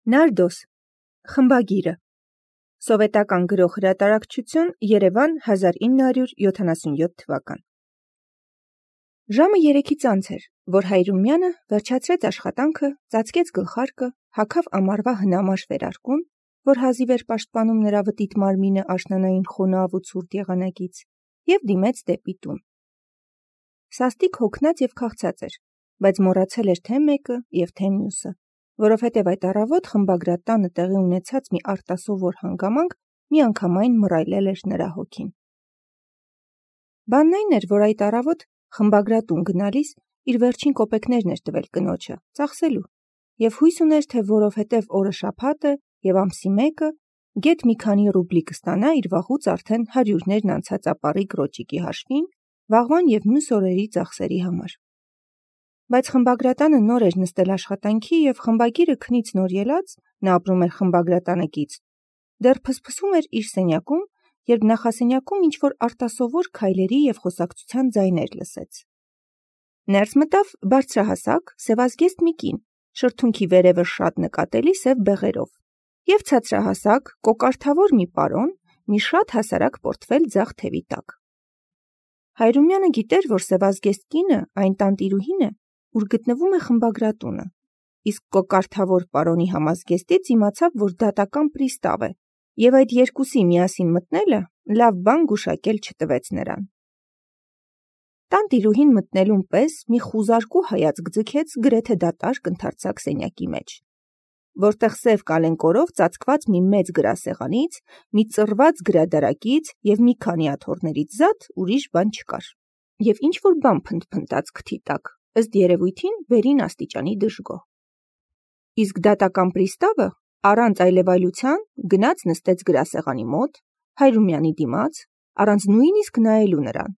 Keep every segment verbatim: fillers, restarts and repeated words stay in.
Նարդոս, խմբագիրը, սովետական գրող հրատարակչություն, Երևան, հազար ինը հարյուր յոթանասունյոթ թվական։ Ժամը երեքից անց էր, որ Հայրումյանը վերջացրեց աշխատանքը, ծածկեց գլխարկը, հագավ ամառվա հնամաշ վերարկուն, որ հազիվ էր պաշտպանում նրա վտիտ մարմինը աշնանային խոնավ ու ցուրտ եղանակից, և դիմեց դեպի տուն։ Սաստիկ հոգնած և քաղցած էր, բայց մոռացել էր թե մեկը և թե մյուսը, որովհետև այդ առավոտ խմբագրատանը տեղի ունեցած մի արտասովոր հանգամանք միանգամայն մռայլել էր նրա հոգին։ Բանն այն էր, որ այդ առավոտ խմբագրատուն գնալիս իր վերջին կոպեկներն էր տվել կնոջը, ծախսելու, և հույս ուներ, թե որովհետև օրը շաբաթ է և ամսի մեկը, գեթ մի քանի ռուբլի կստանա իր վաղուց արդեն հարյուրներն անցած ապառիկ ռոճիկի հաշվին, վաղվան և մյուս օրերի ծախսերի համար։ Բայց խմբագրատանը նոր էր նստել աշխատանքի և խմբագիրը քնից նոր ելած, նա ապրում էր խմբագրատանեկից, դեռ փսփսում էր իր սենյակում, երբ նախասենյակում ինչ-որ արտասովոր քայլերի և խոսակցության ձայներ լսեց։ Ներս մտավ բարձրահասակ, սևազգեստ մի կին, շրթունքի վերևը շատ նկատելի սև բեղերով, և ցածրահասակ, կոկարդավոր մի պարոն, մի շատ հասարակ պորտֆել ձախ թևի տակ։ Հայրումյանը գիտեր, որ սևազգեստ կինը այն տանտիրուհին է, ուր գտնվում է խմբագրատունը, իսկ կոկարդավոր պարոնի համազգեստից իմացավ, որ դատական պրիստավ է, և այդ երկուսի միասին մտնելը լավ բան գուշակել չտվեց նրան։ Տանտիրուհին մտնելուն պես մի խուզարկու հայացք ձգեց գրեթե դատարկ ընդարձակ սենյակի մեջ, որտեղ սև կալենկորով ծածկված մի մեծ գրասեղանից, մի ծռված գրադարակից և մի քանի աթոռներից զատ ուրիշ բան չկար, և ինչ-որ բան փնթփնթաց քթի տակ, ըստ երևույթին վերին աստիճանի դժգոհ։ Իսկ դատական պրիստավը առանց այլևայլության գնաց նստեց գրասեղանի մոտ, Հայրումյանի դիմաց, առանց նույնիսկ նայելու նրան,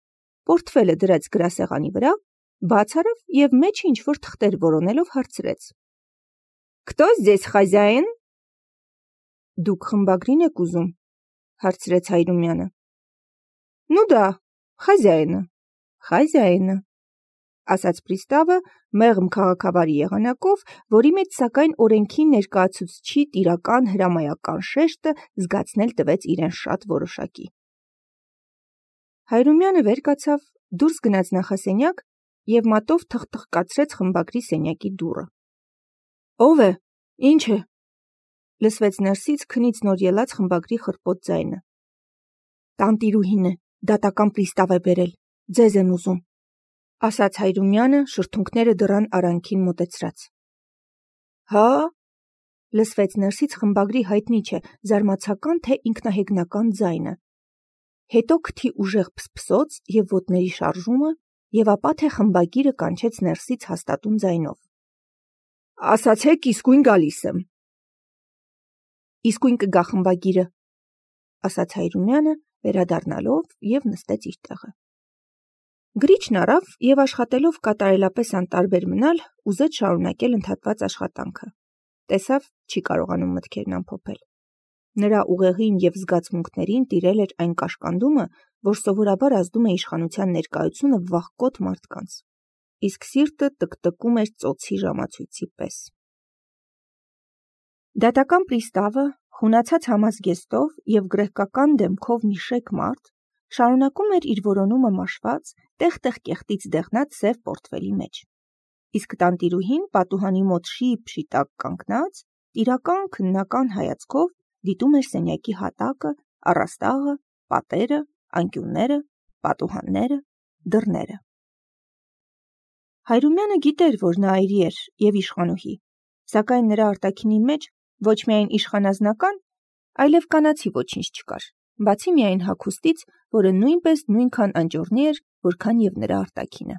պորտֆելը դրեց գրասեղանի վրա, բաց արավ և մեջը ինչ-որ թղթեր որոնելով հարցրեց. «Քտո զես խազյաին»։ «Դուք խմբագրին եք ուզում», հարցրեց Հայրումյանը։ «Նու դա, խազյայինը, խազյայինը», ասաց պրիստավը մեղմ քաղաքավարի եղանակով, որի մեջ սակայն օրենքի ներկայացուցչի տիրական հրամայական շեշտը զգացնել տվեց իրեն շատ որոշակի։ Հայրումյանը վեր կացավ, դուրս գնաց նախասենյակ և մատով թխթխկացրեց խմբագրի սենյակի դուռը։ «Ո՞վ է, ի՞նչ է», լսվեց ներսից քնից նոր ելած խմբագրի խռպոտ ձայնը։ «Տանտիրուհին է, դատական պրիստավ է բերել, ձեզ են ուզում», ասաց Հայրումյանը շրթունքները դռան արանքին մոտեցրած։ «Հա՞», լսվեց ներսից խմբագրի հայտնի չէ, զարմացական թե ինքնահեգնական ձայնը, հետո քթի ուժեղ փսփսոց և ոտների շարժումը, և ապա թե խմբագիրը կանչեց ներսից հաստատուն ձայնով. «Ասացեք, իսկույն գալիս եմ»։ «Իսկույն կգա խմբագիրը», ասաց Հայրումյանը, վերադառնալով և նստեց իր տեղը։ Գրիչն առավ և աշխատելով կատարելապես անտարբեր մնալ, ուզեց շարունակել ընդհատված աշխատանքը, տեսավ չի կարողանում մտքերն ամփոփել։ Նրա ուղեղին և զգացմունքներին տիրել էր այն կաշկանդումը, որ սովորաբար ազդում է իշխանության ներկայությունը վախկոտ մարդկանց, իսկ սիրտը տկտկում էր ծոցի ժամացույցի պես։ Դատական պրիստավը, խունացած համազգեստով և գրեհկական դեմքով մի շեկ մարդ, շարունակում էր իր որոնումը մաշված, տեղ-տեղ կեղտից դեղնած սև պորտֆելի մեջ, իսկ տանտիրուհին պատուհանի մոտ շիպ-շի տակ կանգնած, տիրական քննական հայացքով դիտում էր սենյակի հատակը, առաստաղը, պատերը, անկյունները, պատուհանները, դռները։ Հայրումյանը գիտեր, որ նա այրի էր և իշխանուհի, սակայն նրա արտաքինի մեջ ոչ միայն իշխանազնական, այլև կանացի ոչինչ չկար, բացի միայն հագուստից, որը նույնպես նույնքան անճոռնի էր, որքան և նրա արտաքինը։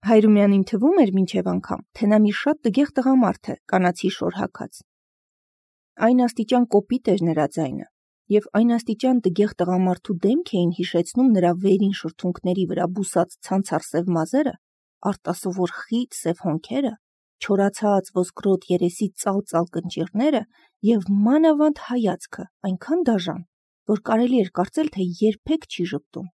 Հայրումյանին թվում էր մինչև անգամ, թե նա մի շատ տգեղ տղամարդ է, կանացի շոր հագած։ Այն աստիճան կոպիտ էր նրա ձայնը, և այն աստիճան տգեղ տղամարդու դեմք էին հիշեցնում նրա վերին շրթունքների վրա բուսած ցանցառ սև մազերը, արտասովոր խիտ սև հոնքերը, չորացած ոսկրոտ երեսի ծալ-ծալ կնճիռները և մանավանդ հայացքը այնքան դաժան, որ կարելի էր կարծել, թե երբեք չի ժպտում։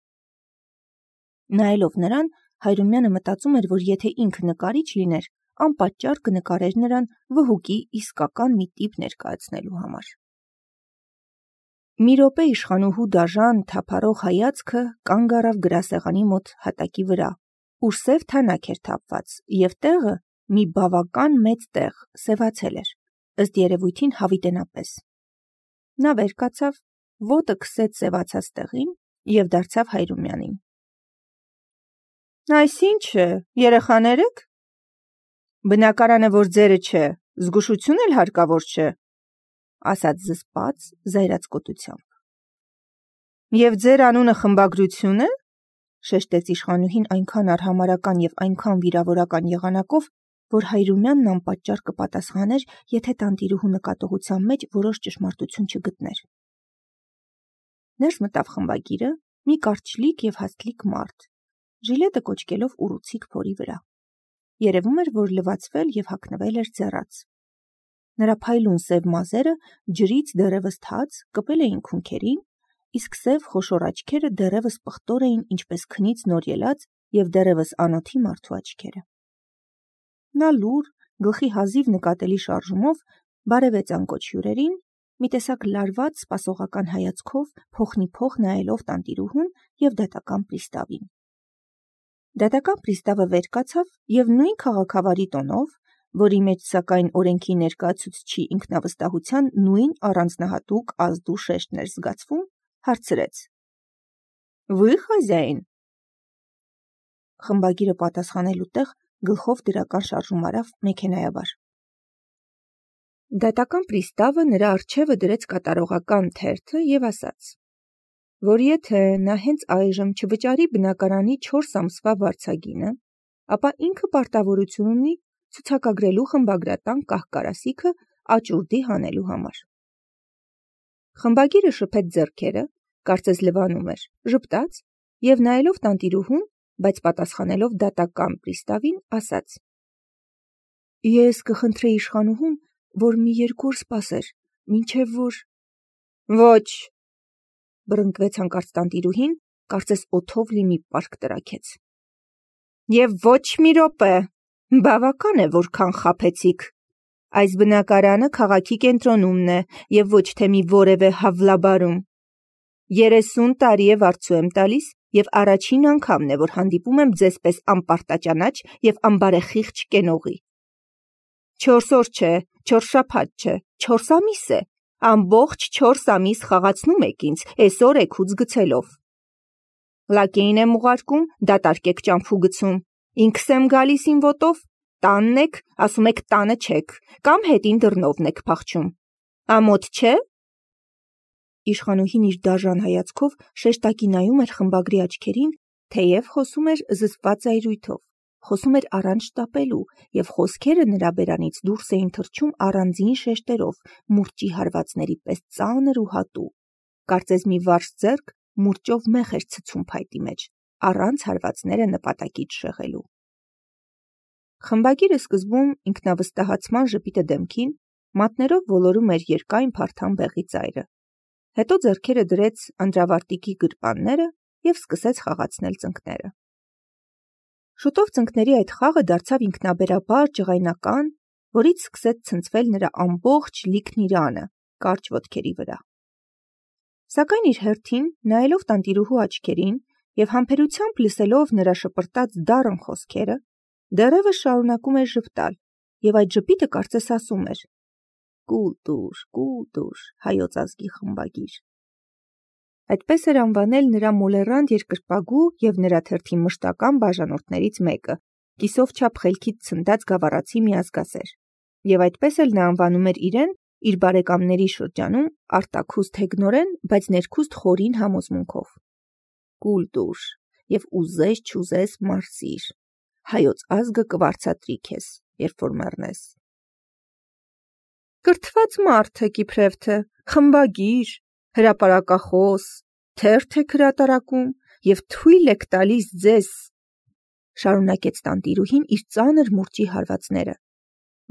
Նայելով նրան, Հայրումյանը մտածում էր, որ եթե ինքը նկարիչ լիներ, անպատճառ կնկարեր նրան վհուկի իսկական մի տիպ ներկայացնելու համար։ Մի րոպե իշխանուհու դաժան, թափառող հայացքը կանգ առավ գրասեղանի մոտ հատակի վրա, ուր սև թանաք էր թափված, և տեղը մի բավական մեծ տեղ սևացել էր, ըստ երևույթին հավիտենապես։ Նա վեր կացավ, ոտը քսեց սևացած տեղին և դարձավ Հայրումյանին. Այս ի՞նչ է, երեխաներ եք։ Բնակարանը, որ ձերը չէ, զգուշություն էլ հարկավոր չէ, ասաց զսպած, զայրաց կոտությամբ։ Եվ ձեր անունը խմբագրություն է, շեշտեց իշխանուհին այնքան արհամարհական և այնքան վիրավորական եղանակով, որ Հայրումյանն անպատճառ կպատասխաներ, եթե տանտիրուհու նկատողության մեջ որոշ ճշմարտություն չգտներ։ Ներս մտավ խմբագիրը մի կարճլիկ և հաստլիկ մարդ, ժիլետը կոչկելով ուռուցիկ փորի վրա։ Երևում էր, որ լվացվել և հագնվել էր ձեռաց։ Նրա փայլուն սև մազերը ջրից դեռևս թաց կպել էին քունքերին, իսկ սև խոշոր աչքերը դեռևս պղտոր էին ինչպես քնից նոր ելած և դեռևս անոթի մարդու աչքերը։ Նա լուռ, գլխի հազիվ նկատելի շարժումով բարևեց անկոչ հյուրերին, մի տեսակ լարված սպասողական հայացքով փոխնիփոխ նայելով տանտիրուհուն և դատական պրիստավին։ Դատական պրիստավը վեր կացավ և նույն քաղաքավարի տոնով, որի մեջ սակայն օրենքի ներկայացուցչի ինքնավստահության նույն առանձնահատուկ ազդու շեշտն էր զգացվում, հարցրեց. Вы хозяин։ Խմբագիրը պատասխանելու տեղ գլխով դրական շարժում արավ մեքենայաբար։ Դատական պրիստավը նրա առջևը դրեց կատարողական թերթը և ասաց, որ եթե նա հենց այժմ չվճարի բնակարանի չորս ամսվա վարձագինը, ապա ինքը պարտավորություն ունի ցուցակագրելու խմբագրատան կահ-կարասիքը աճուրդի հանելու համար։ Խմբագիրը շփեց ձեռքերը, կարծես լվանում էր, ժպտաց և նայելով տանտիրուհուն, բայց պատասխանելով դատական պրիստավին, ասաց. Ես կխնդրեի իշխանուհուն, որ մի երկու օր սպասեր, մինչև որ… Ոչ, բռնկվեց հանկարծ տանտիրուհին, կարծես օդով լի մի պարկ տրաքեց։ Եվ ոչ մի րոպե, բավական է, որքան խաբեցիք։ Այս բնակարանը քաղաքի կենտրոնումն է և ոչ թե մի որևէ Հավլաբարում։ Երեսուն տարի է վարձու եմ տալիս և առաջին անգամն է, որ հանդիպում եմ ձեզ պես անպարտաճանաչ և անբարեխիղճ կենողի։ Չորս օր չէ, չորս շաբաթ չէ, չորս ամիս է, ամբողջ չորս ամիս խաղացնում եք ինձ, էսօր էգուց գցելով։ Լակեին եմ ուղարկում, դատարկ եք ճամփու գցում, ինքս եմ գալիս իմ ոտով, տանն եք, ասում եք տանը չեք, կամ հետին դռնովն եք փախչում։ Ամոթ չէ։ Իշխանուհին իր դաժան հայացքով շեշտակի նայում էր խմբագրի աչքերին, թեև խոսում էր զսպված զայրույթով, խոսում էր առանց շտապելու, և խոսքերը նրա բերանից դուրս էին թռչում առանձին շեշտերով, մուրճի հարվածների պես ծանր ու հատու, կարծես մի վարժ ձեռք մուրճով մեխ էր ցցում փայտի մեջ, առանց հարվածները նպատակից շեղելու։ Խմբագիրը սկզբում ինքնավստահացման ժպիտը դեմքին, մատներով ոլորում էր երկայն փարթամ բեղի ծայրը, հետո ձեռքերը դրեց անդրավարտիքի գրպանները և սկսեց խաղացնել ծնկները։ Շուտով ծնկների այդ խաղը դարձավ ինքնաբերաբար ջղայնական, որից սկսեց ցնցվել նրա ամբողջ լիքն իրանը, կարճ ոտքերի վրա։ Սակայն իր հերթին, նայելով տանտիրուհու աչքերին և համբերությամբ լսելով նրա շպրտած դառն խոսքերը, դեռևս շարունակում էր ժպտալ, և այդ ժպիտը կարծես ասում էր. «Կուլ տուր, կուլ տուր, հայոց ազգի խմբագիր»։ Այդպես էր անվանել նրա մոլեռանդ երկրպագու և նրա թերթի մշտական բաժանորդներից մեկը, կիսով չափ խելքից ցնդած գավառացի մի ազգասեր, և այդպես էլ նա անվանում էր իրեն իր բարեկամների շրջանում արտաքուստ հեգնորեն, բայց ներքուստ խորին համոզմունքով. «Կուլ տուր և ուզես չուզես մարսիր, հայոց ազգը կվարձատրի քեզ, երբ որ մեռնես»։ Կրթված մարդ եք իբրև խմբագիր, հրապարակախոս, թերթ եք հրատարակում և թույլ եք տալիս ձեզ, շարունակեց տանտիրուհին իր ծանր մուրճի հարվածները,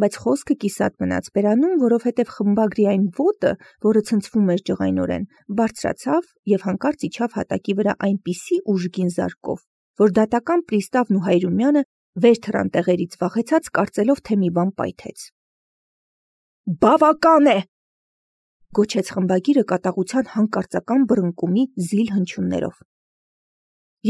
բայց խոսքը կիսատ մնաց բերանում, որովհետև խմբագրի այն ոտը, որը ցնցվում էր ջղայնորեն, բարձրացավ և հանկարծ իջավ հատակի վրա այնպիսի ուժգին զարկով, որ դատական պրիստավն ու Հայրումյանը Վեր թռան տեղերից վախեցած, կարծելով, թե մի բան պայթեց։ Բավական է, գոչեց խմբագիրը կատաղության հանկարծական բռնկումի զիլ հնչյուններով։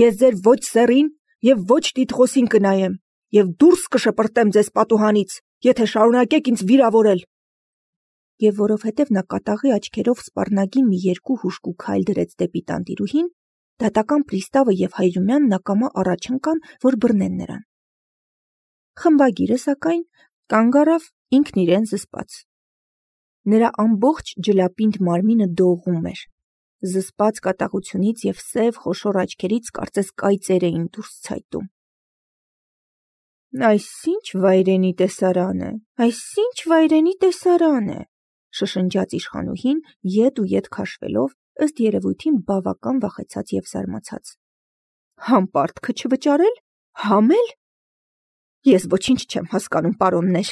Ես ձեր ոչ սեռին և ոչ տիտղոսին կնայեմ, և դուրս կշպրտեմ ձեզ պատուհանից, եթե շարունակեք ինձ վիրավորել։ Եվ որովհետև նա կատաղի աչքերով սպառնագին մի երկու հուժկու քայլ դրեց դեպի տանտիրուհին, դատական պրիստավը և Հայրումյանն ակամա առաջ ընկան, որ բռնեն նրան։ Խմբագիրը, սակայն, կանգ առավ ինքն իրեն զսպած։ Նրա ամբողջ ջլապինդ մարմինը դողում էր, զսպած կատաղությունից և սև խոշոր աչքերից կարծես կայծեր էին դուրս ցայտում։ Այս ինչ վայրենի տեսարան է, այս ինչ վայրենի տեսարան է, շշնջաց իշխանուհին, ետ ու ետ քաշվելով, ըստ երևույթին բավական վախեցած և զարմացած։ Համպարտքը չվճարել, համել։ Ես ոչինչ չեմ հասկանում, պարոններ։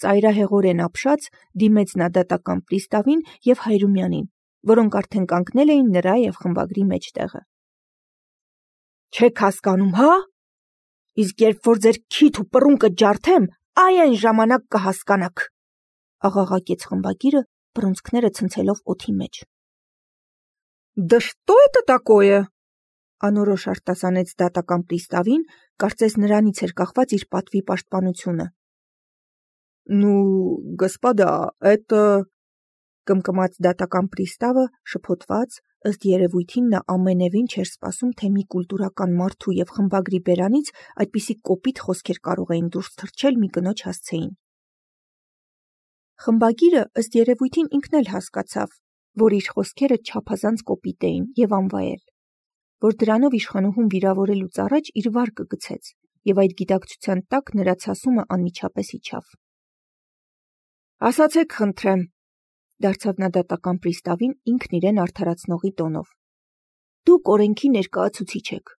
Ծայրահեղորեն ապշած դիմեց նա դատական պրիստավին և Հայրումյանին, որոնք արդեն կանգնել էին նրա և խմբագրի մեջտեղը։ Չեք հասկանում, հա։ Իսկ երբ որ ձեր քիթ ու պռունկը ջարդեմ, այ այն ժամանակ կհասկանաք, աղաղակեց խմբագիրը, բռունցքները ցնցելով օդի մեջ։ Да что это такое? Անորոշ արտասանեց դատական պրիստավին, կարծես նրանից էր կախված իր պատվի պաշտպանությունը։ Ну, господа, это կմկմաց դատական պրիստավը շփոթված, ըստ երևույթին նա ամենևին չէր սպասում, թե մի կուլտուրական մարդու և խմբագրի բերանից այդպիսի կոպիտ խոսքեր կարող էին դուրս թռչել մի կնոջ հասցեին։ Խմբագիրը ըստ երևույթին ինքն էլ հասկացավ, որ իր խոսքերը չափազանց կոպիտ էին և անվայել, որ դրանով իշխանուհուն վիրավորելուց առաջ իր վարկը գցեց, և այդ գիտակցության տակ նրա ցասումը անմիջապես իջավ։ Ասացեք, խնդրեմ, դարձավ նա դատական պրիստավին ինքն իրեն արդարացնողի տոնով։ Դուք օրենքի ներկայացուցիչ եք։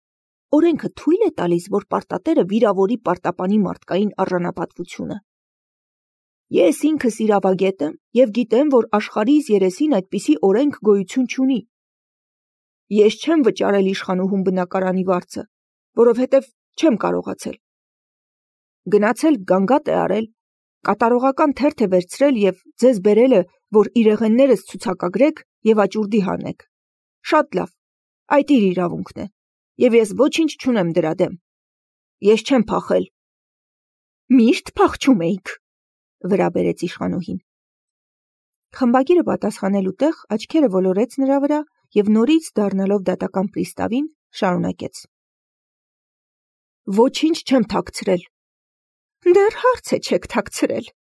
Օրենքը թույլ է տալիս, որ պարտատերը վիրավորի պարտապանի մարդկային արժանապատվությունը։ Ես ինքս իրավագետ եմ և գիտեմ, որ աշխարհիս երեսին այդպիսի օրենք գոյություն չունի։ Ես չեմ վճարել իշխանուհուն բնակարանի վարձը, որովհետև չեմ կարողացել։ Գնացել գանգատ է արել, կատարողական թերթ է վերցրել և ձեզ բերել է, որ իրեղեններս ցուցակագրեք և աճուրդի հանեք։ Շատ լավ, այդ իր իրավունքն է, և ես ոչինչ չունեմ դրա դեմ։ Ես չեմ փախել։ Միշտ փախչում էիք, վրա բերեց իշխանուհին։ Խմբագիրը պատասխանելու տեղ աչքերը ոլորեց նրա վրա և նորից դառնալով դատական պրիստավին շարունակեց. Ոչինչ չեմ թաքցրել։ Դեռ հարց է չեք թաքցրել,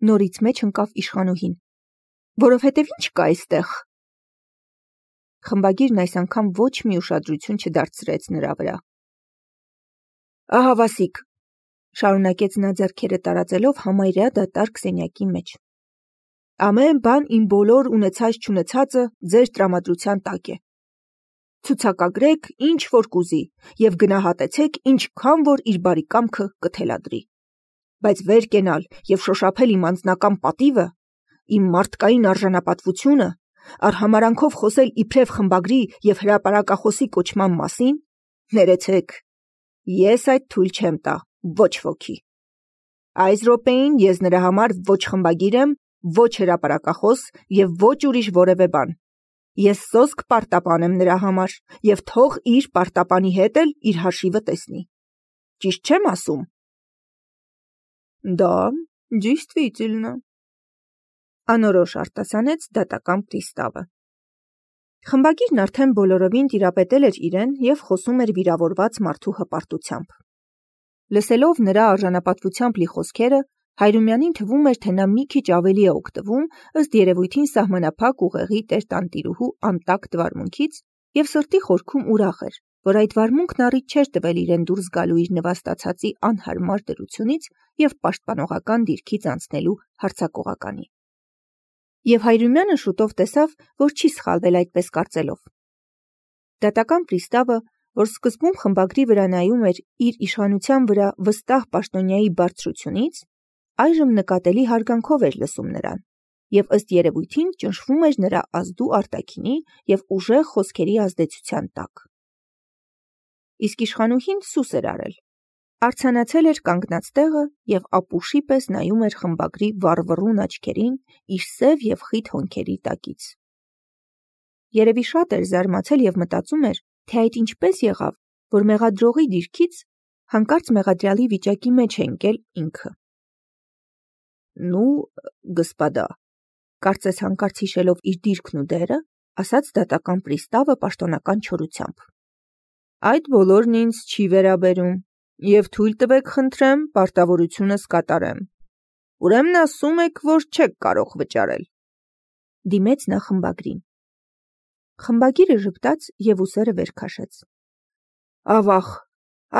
նորից մեջ ընկավ իշխանուհին, որովհետև ինչ կա այստեղ։ Խմբագիրն այս անգամ ոչ մի ուշադրություն չդարձրեց նրա վրա։ Ահա Վասիկ, շարունակեց նա ձեռքերը տարածելով համարյա դատարկ սենյակի մեջ։ Ամեն բան իմ բոլոր ունեցած-չունեցածը ձեր տրամադրության տակ է։ Ցուցակագրեք ինչ որ կուզի և գնահատեցեք ինչքան որ իր բարի կամքը կթելադրի։ Բայց վեր կենալ և շոշափել իմ անձնական պատիվը, իմ մարդկային արժանապատվությունը, արհամարանքով խոսել իբրև խմբագրի և հրապարակախոսի կոչման մասին, ներեցեք, ես այդ թույլ չեմ տա ոչ ոքի։ Այս րոպեին ես նրա համար ոչ խմբագիր եմ, ոչ հրապարակախոս և ոչ ուրիշ որևէ բան։ Ես սոսկ պարտապան եմ նրա համար և թող իր պարտապանի հետ էլ իր հաշիվը տեսնի։ Ճիշտ չեմ ասում։ Да, действительно, անորոշ արտասանեց դատական պրիստավը։ Խմբագիրն արդեն բոլորովին տիրապետել էր իրեն և խոսում էր վիրավորված մարդու հպարտությամբ։ Լսելով նրա արժանապատվությամբ լի խոսքերը, Հայրումյանին թվում էր, թե նա մի քիչ ավելի է օգտվում ըստ երևույթին սահմանափակ ուղեղի տեր-տանտիրուհու անտակտ վարմունքից և սրտի խորքում ուրախ էր, որ այդ վարմունքն առիթ չէր տվել իրեն դուրս գալու իր նվաստացածի անհարմար դրությունից և պաշտպանողական դիրքից անցնելու հարձակողականի։ Եվ Հայրումյանը շուտով տեսավ, որ չի սխալվել այդպես կարծելով։ Դատական պրիստավը, որ սկզբում խմբագրի վրա նայում էր իր իշխանության վրա վստահ պաշտոնյայի բարձրությունից, այժմ նկատելի հարգանքով էր լսում նրան և ըստ երևույթին ճնշվում էր նրա ազդու արտաքինի և ուժեղ խոսքերի ազդեցության տակ։ Իսկ իշխանուհին սուս էր արել, Արձանացել էր կանգնած տեղը և ապուշի պես նայում էր խմբագրի վառվռուն աչքերին իր սև և խիտ հոնքերի տակից։ Երևի շատ էր զարմացել և մտածում էր, թե այդ ինչպես եղավ, որ մեղադրողի դիրքից հանկարծ մեղադրյալի վիճակի մեջ է ընկել ինքը։ «Ну, господа», կարծես հանկարծ հիշելով իր դիրքն ու դերը, ասաց դատական պրիստավը պաշտոնական չորությամբ։ «Այդ բոլորն ինձ չի վերաբերում, և թույլ տվեք խնդրեմ պարտավորությունս կատարեմ։ Ուրեմն ասում եք, որ չեք կարող վճարել», դիմեց նա խմբագրին։ Խմբագիրը ժպտաց և ուսերը վեր քաշեց։ «Ավաղ,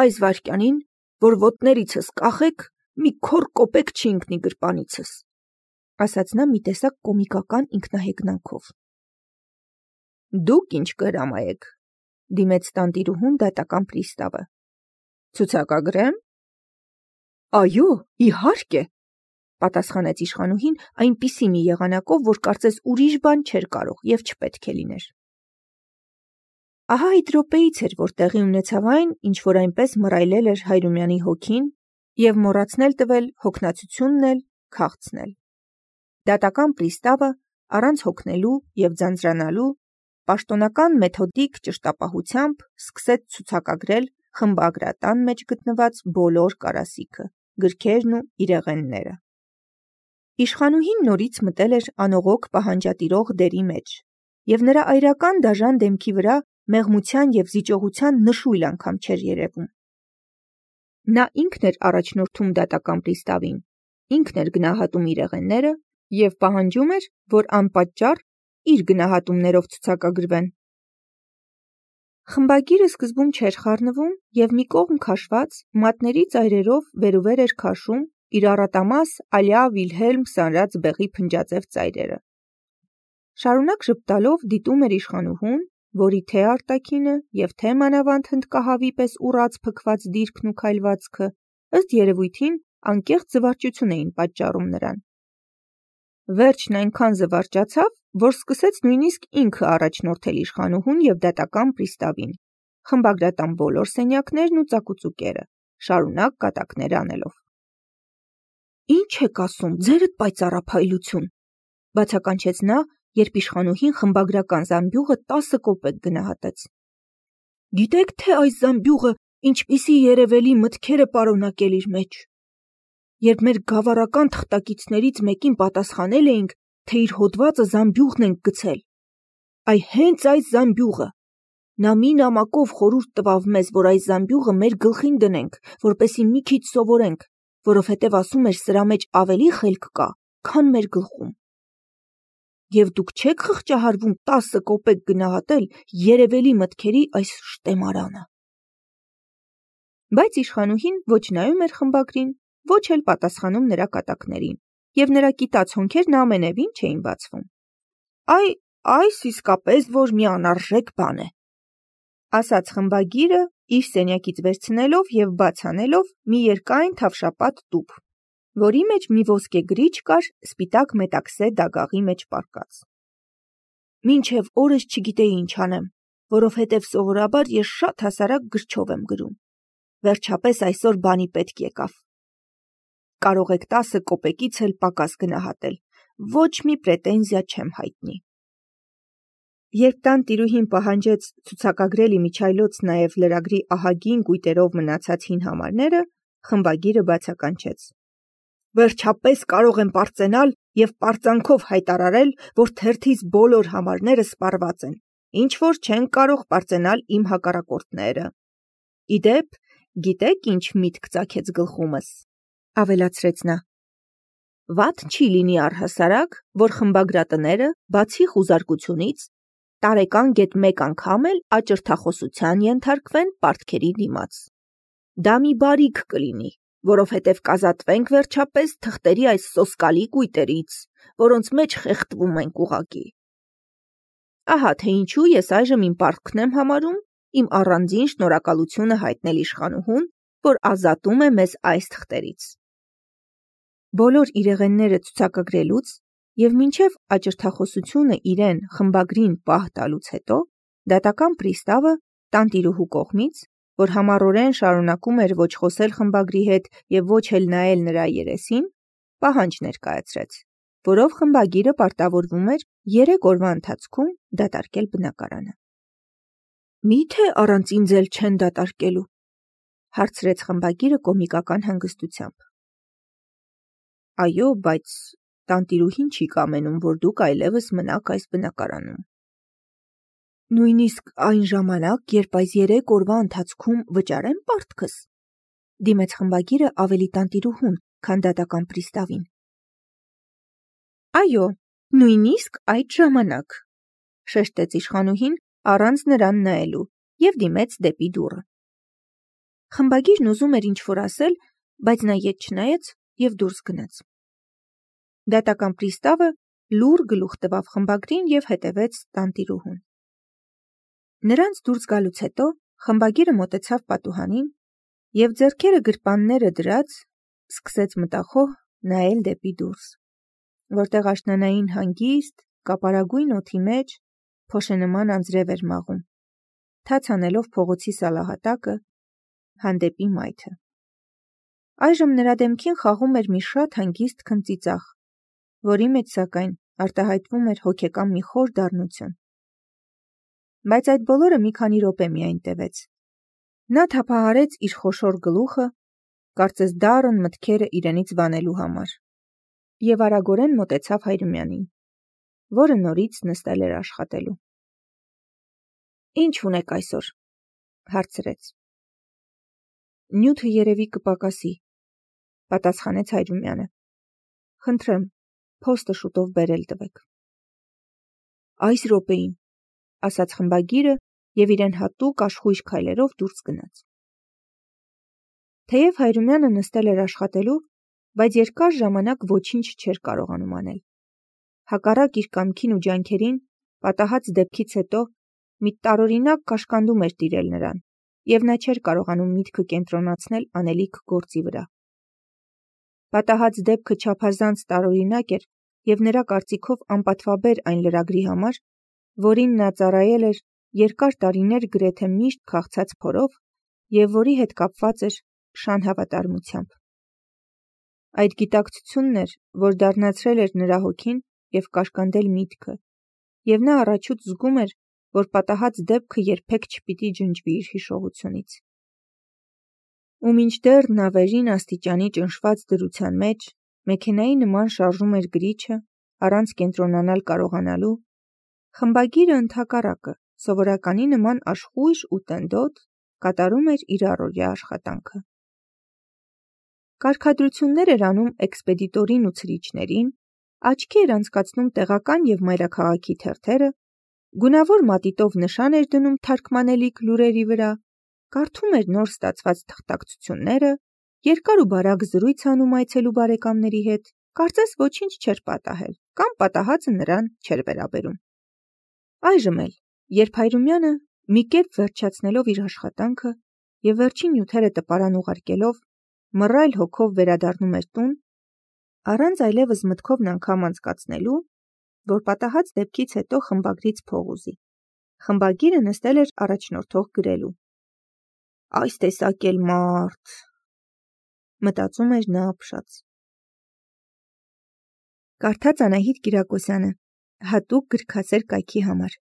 այս վայրկյանին, որ ոտներիցս կախեք, մի քոր կոպեկ չի ընկնի գրպանիցս», ասաց նա մի տեսակ կոմիկական ինքնահեգնանքով։ «Դուք ինչ կհրամայեք», դիմեց տանտիրուհուն դատական պրիստավը։ «Ցուցակագրե՞մ»։ «Այո, իհարկե», պատասխանեց իշխանուհին այնպիսի մի եղանակով, որ կարծես ուրիշ բան չէր կարող և չպետք է լիներ։ Ահա այդ րոպեից էր, որ տեղի ունեցավ այն, ինչ որ այնպես մռայլել էր Հայրումյանի հոգին և մոռացնել տվել հոգնածությունն էլ, քաղցն էլ։ Դատական պրիստավը, առանց հոգնելու և ձանձրանալու, պաշտոնական մեթոդիկ ճշտապահությամբ սկսեց ցուցակագրել խմբագրատան մեջ գտնված բոլոր կարասիքը, գրքերն ու իրեղենները։ Իշխանուհին նորից մտել էր անողոք պահանջատիրող դերի մեջ, և նրա այրական դաժան դեմքի վրա մեղմության և զիջողության նշույլ անգամ չէր երևում։ Նա ինքն էր առաջնորդում դատական պրիստավին, ինքն էր գնահատում իրեղենները և պահանջում էր, որ անպատճառ իր գնահատումներով ցուցակագրվեն։ Խմբագիրը սկզբում չէր խառնվում և մի կողմ քաշված մատների ծայրերով վերուվեր էր քաշում իր առատամաս Ալյա Վիլհելմ սանրած բեղի փնջաձև ծայրերը։ Շարունակ ժպտալով դիտում էր իշխանուհուն, որի թե արտաքինը և թե մանավանդ հնդկահավի պես ուռած փքված դիրքն ու քայլվածքը ըստ երևույթին անկեղծ զվարճություն էին պատճառում նրան։ Վերջն այնքան զվարճացավ, որ սկսեց նույնիսկ ինքը առաջնորդել իշխանուհուն և դատական պրիստավին, խմբագրատան բոլոր սենյակներն ու ծակուծուկերը, շարունակ կատակներ անելով։ «Ինչ եք ասում, ձերդ պայծառափայլություն», բացականչեց նա, երբ իշխանուհին խմբագրական զամբյուղը տասը կոպեկ գնահատեց։ «Գիտեք, թե այս զամբյուղը ինչպիսի երևելի մտքեր է պարունակել իր մեջ։ Երբ մեր գավառական թղթակիցներից մեկին պատասխանել էինք, թե իր հոդվածը զամբյուղն ենք գցել, այ հենց այս զամբյուղը, նա մի նամակով խորհուրդ տվավ մեզ, որ այս զամբյուղը մեր գլխին դնենք, որպեսզի մի քիչ սովորենք, որովհետև ասում էր սրա մեջ ավելի խելք կա, քան մեր գլխում։ Եվ դուք չեք խղճահարվում տասը կոպեկ գնահատել երևելի մտքերի այս շտեմարանը»։ Բայց իշխանուհին ոչ նայում էր խմբագրին, ոչ էլ պատասխանում նրա կատակներին, և նրա կիտած հոնքերն ամենևին չէին բացվում։ «Այ, այս իսկապես որ մի անարժեք բան է», ասաց խմբագիրը, իր սենյակից վերցնելով և բաց անելով մի երկայն թավշապատ տուփ, որի մեջ մի ոսկե գրիչ կար սպիտակ մետաքսե դագաղի մեջ պառկած։ «Մինչև օրս չգիտեի ինչ անեմ, որովհետև սովորաբար ես շատ հասարակ գրչով եմ գրում։ Վերջապես այսօր բանի պետք եկավ։ Կարող եք տասը կոպեկից էլ պակաս գնահատել, ոչ մի պրետենզիա չեմ հայտնի»։ Երբ տանտիրուհին պահանջեց ցուցակագրել իմիջիայլոց նաև լրագրի ահագին կույտերով մնացած հին համարները, խմբագիրը բացականչեց. «Վերջապես կարող եմ պարծենալ և պարծանքով հայտարարել, որ թերթիս բոլոր համարները սպառված են, ինչ որ չեն կարող պարծենալ իմ հակառակորդները։ Ի դեպ, գիտեք ինչ միտք ծագեց գլխումս», ավելացրեց նա։ «Վատ չի լինի առհասարակ, որ խմբագրատները, բացի խուզարկությունից, տարեկան գեթ մեկ անգամ էլ աճրթախոսության ենթարկվեն պարտքերի դիմաց։ Դա մի բարիք կլինի, որովհետև կազատվենք վերջապես թղթերի այս սոսկալի կույտերից, որոնց մեջ խեղդվում ենք ուղղակի։ Ահա թե ինչու ես այժմ իմ պարտքն եմ համարում իմ առանձին շնորհակալությունը հայտնել իշխանուհուն, որ ազատում է մեզ այս թղթերից»։ Բոլոր իրեղենները ցուցակագրելուց և մինչև աճրթախոսությունը իրեն խմբագրին պահ տալուց հետո դատական պրիստավը տանտիրուհու կողմից որ համառորեն շարունակում էր ոչ խոսել խմբագրի հետ և ոչ էլ նայել նրա երեսին, պահանջ ներկայացրեց, որով խմբագիրը պարտավորվում էր երեք օրվա ընթացքում դատարկել բնակարանը։ «Մի՞թե առանց ինձ էլ չեն դատարկելու», հարցրեց խմբագիրը կոմիկական հանգստությամբ։ «Այո, բայց տանտիրուհին չի կամենում, որ դուք այլևս մնաք այս բնակարանում»։ «Նույնիսկ այն ժամանակ, երբ այս երեք օրվա ընթացքում վճարեմ պարտքս», դիմեց խմբագիրը ավելի տանտիրուհուն, քան դատական պրիստավին։ «Այո, նույնիսկ այդ ժամանակ», շեշտեց իշխանուհին առանց նրան նայելու և դիմեց դեպի դուռը։ Խմբագիրն ուզում էր ինչ-որ ասել, բայց նա ետ չնայեց և դուրս գնաց։ Դատական պրիստավը լուռ գլուխ տվավ խմբագրին և հետևեց տանտիրուհուն։ Նրանց դուրս գալուց հետո խմբագիրը մոտեցավ պատուհանին և ձեռքերը գրպանները դրած սկսեց մտախոհ նայել դեպի դուրս, որտեղ աշնանային հանգիստ, կապարագույն օդի մեջ փոշենման անձրև էր մաղում, թաց անելով փողոցի սալահատակը, հանդեպի մայթը։ Այժմ նրա դեմքին խաղում էր մի շատ հանգիստ քնծիծաղ, որի մեջ, սակայն, արտահայտվում էր հոգեկան մի խոր դառնություն։ Բայց այդ բոլորը մի քանի րոպե միայն տևեց։ Նա թափահարեց իր խոշոր գլուխը, կարծես դառն մտքերը իրենից վանելու համար, և արագորեն մոտեցավ Հայրումյանին, որը նորից նստել էր աշխատելու։ «Ինչ ունեք այսօր», հարցրեց։ «Նյութը երևի կպակասի», պատասխանեց Հայրումյանը։ «Խնդրեմ, փոստը շուտով բերել տվեք»։ «Այս րոպեին», ասաց խմբագիրը և իրեն հատուկ աշխույժ քայլերով դուրս գնաց։ Թեև Հայրումյանը նստել էր աշխատելու, բայց երկար ժամանակ ոչինչ չէր կարողանում անել։ Հակառակ իր կամքին ու ջանքերին, պատահած դեպքից հետո մի տարօրինակ կաշկանդում էր տիրել նրան, և նա չէր կարողանում միտքը կենտրոնացնել անելիք գործի վրա։ Պատահած դեպքը չափազանց տարօրինակ էր և նրա կարծիքով անպատվաբեր այն լրագրի համար, որին նա ծառայել էր երկար տարիներ գրեթե միշտ քաղցած փորով և որի հետ կապված էր շան հավատարմությամբ։ Այդ գիտակցությունն էր, որ դառնացրել էր նրա հոգին և կաշկանդել միտքը, և նա առաջուց զգում էր, որ պատահած դեպքը երբեք չպիտի ջնջվի իր հիշողությունից։ Ու մինչդեռ նա վերին աստիճանի ճնշված դրության մեջ մեքենայի նման շարժում էր գրիչը, առանց կենտրոնանալ կարողանալու, խմբագիրը ընդհակառակը, սովորականի նման աշխույժ ու տնդոտ, կատարում էր իր առօրյա աշխատանքը։ Կարգադրություններ էր անում էքսպեդիտորին ու ցրիչներին, աչքի էր անցկացնում տեղական և մայրաքաղաքի թերթերը, գունավոր մատիտով նշան էր դնում թարգմանելիք լուրերի վրա, կարդում էր նոր ստացված թղթակցությունները, երկար ու բարակ զրույց անում այցելու բարեկամների հետ, կարծես ոչինչ չէր պատահել կամ պատահածը նրան չէր վերաբերում։ Այժմ էլ, երբ Հայրումյանը, մի կերպ վերջացնելով իր աշխատանքը և վերջին նյութերը տպարան ուղարկելով, մռայլ հոգով վերադառնում էր տուն, առանց այլևս մտքովն անգամ անցկացնելու, որ պատահած դեպքից հետո խմբագրից փող ուզի, խմբագիրը նստել էր առաջնորդող գրելու։ «Այս տեսակ էլ մարդ», մտածում էր նա ապշած։ Կարդաց Անահիտ Կիրակոսյանը, հատուկ գրքասեր կայքի համար։